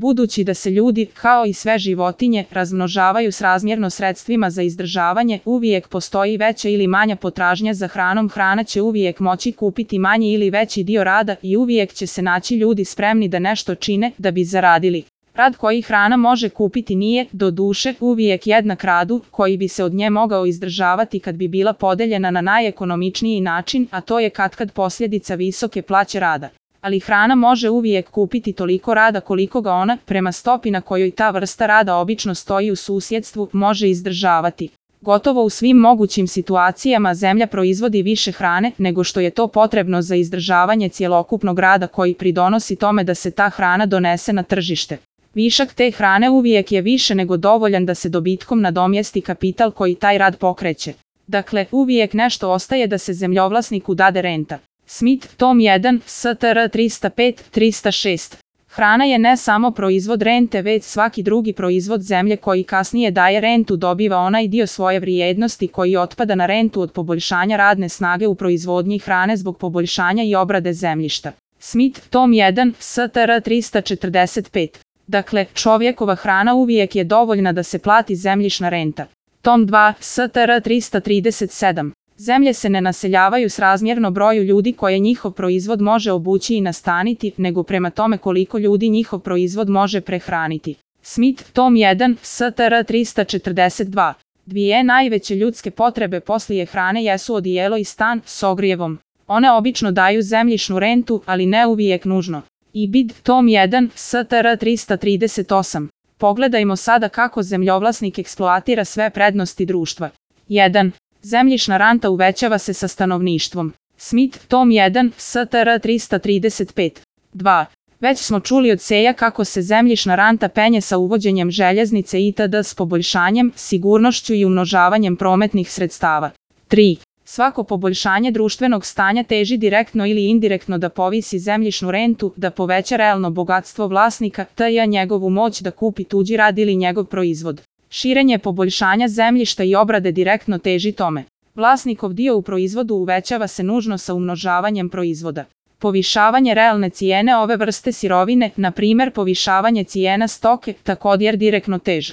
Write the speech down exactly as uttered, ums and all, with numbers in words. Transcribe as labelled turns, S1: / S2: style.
S1: Budući da se ljudi, kao i sve životinje, razmnožavaju srazmjerno sredstvima za izdržavanje, uvijek postoji veća ili manja potražnja za hranom, hrana će uvijek moći kupiti manji ili veći dio rada i uvijek će se naći ljudi spremni da nešto čine da bi zaradili. Rad koji hrana može kupiti nije, do duše, uvijek jednak radu koji bi se od nje mogao izdržavati kad bi bila podeljena na najekonomičniji način, a to je katkad posljedica visoke plaće rada. Ali hrana može uvijek kupiti toliko rada koliko ga ona, prema stopi na kojoj ta vrsta rada obično stoji u susjedstvu, može izdržavati. Gotovo u svim mogućim situacijama zemlja proizvodi više hrane nego što je to potrebno za izdržavanje cjelokupnog rada koji pridonosi tome da se ta hrana donese na tržište. Višak te hrane uvijek je više nego dovoljan da se dobitkom nadomjesti kapital koji taj rad pokreće. Dakle, uvijek nešto ostaje da se zemljovlasniku dade renta. Smith, tom jedan, S T R tristo pet tristo šest. Hrana je ne samo proizvod rente, već svaki drugi proizvod zemlje koji kasnije daje rentu dobiva onaj dio svoje vrijednosti koji otpada na rentu od poboljšanja radne snage u proizvodnji hrane zbog poboljšanja i obrade zemljišta. Smith, tom jedan, S T R tristo četrdeset pet. Dakle, čovjekova hrana uvijek je dovoljna da se plati zemljišna renta. Tom dva, S T R tristo trideset sedam. Zemlje se ne naseljavaju srazmjerno broju ljudi koje njihov proizvod može obući i nastaniti, nego prema tome koliko ljudi njihov proizvod može prehraniti. Smith, tom jedan, S T R tristo četrdeset dva. Dvije najveće ljudske potrebe poslije hrane jesu odijelo i stan s ogrijevom. One obično daju zemljišnu rentu, ali ne uvijek nužno. I B I D, tom jedan, S T R tristo trideset osam. Pogledajmo sada kako zemljovlasnik eksploatira sve prednosti društva. jedan. Zemljišna renta uvećava se sa stanovništvom. Smith, tom jedan, S T R tristo trideset pet. dva. Već smo čuli od Seja kako se zemljišna renta penje sa uvođenjem željeznice itd. S poboljšanjem, sigurnošću i umnožavanjem prometnih sredstava. tri. Svako poboljšanje društvenog stanja teži direktno ili indirektno da povisi zemljišnu rentu, da poveća realno bogatstvo vlasnika, te njegovu moć da kupi tuđi rad ili njegov proizvod. Širenje poboljšanja zemljišta i obrade direktno teži tome. Vlasnikov dio u proizvodu uvećava se nužno sa umnožavanjem proizvoda. Povišavanje realne cijene ove vrste sirovine, na primjer povišavanje cijena stoke, također direktno teži.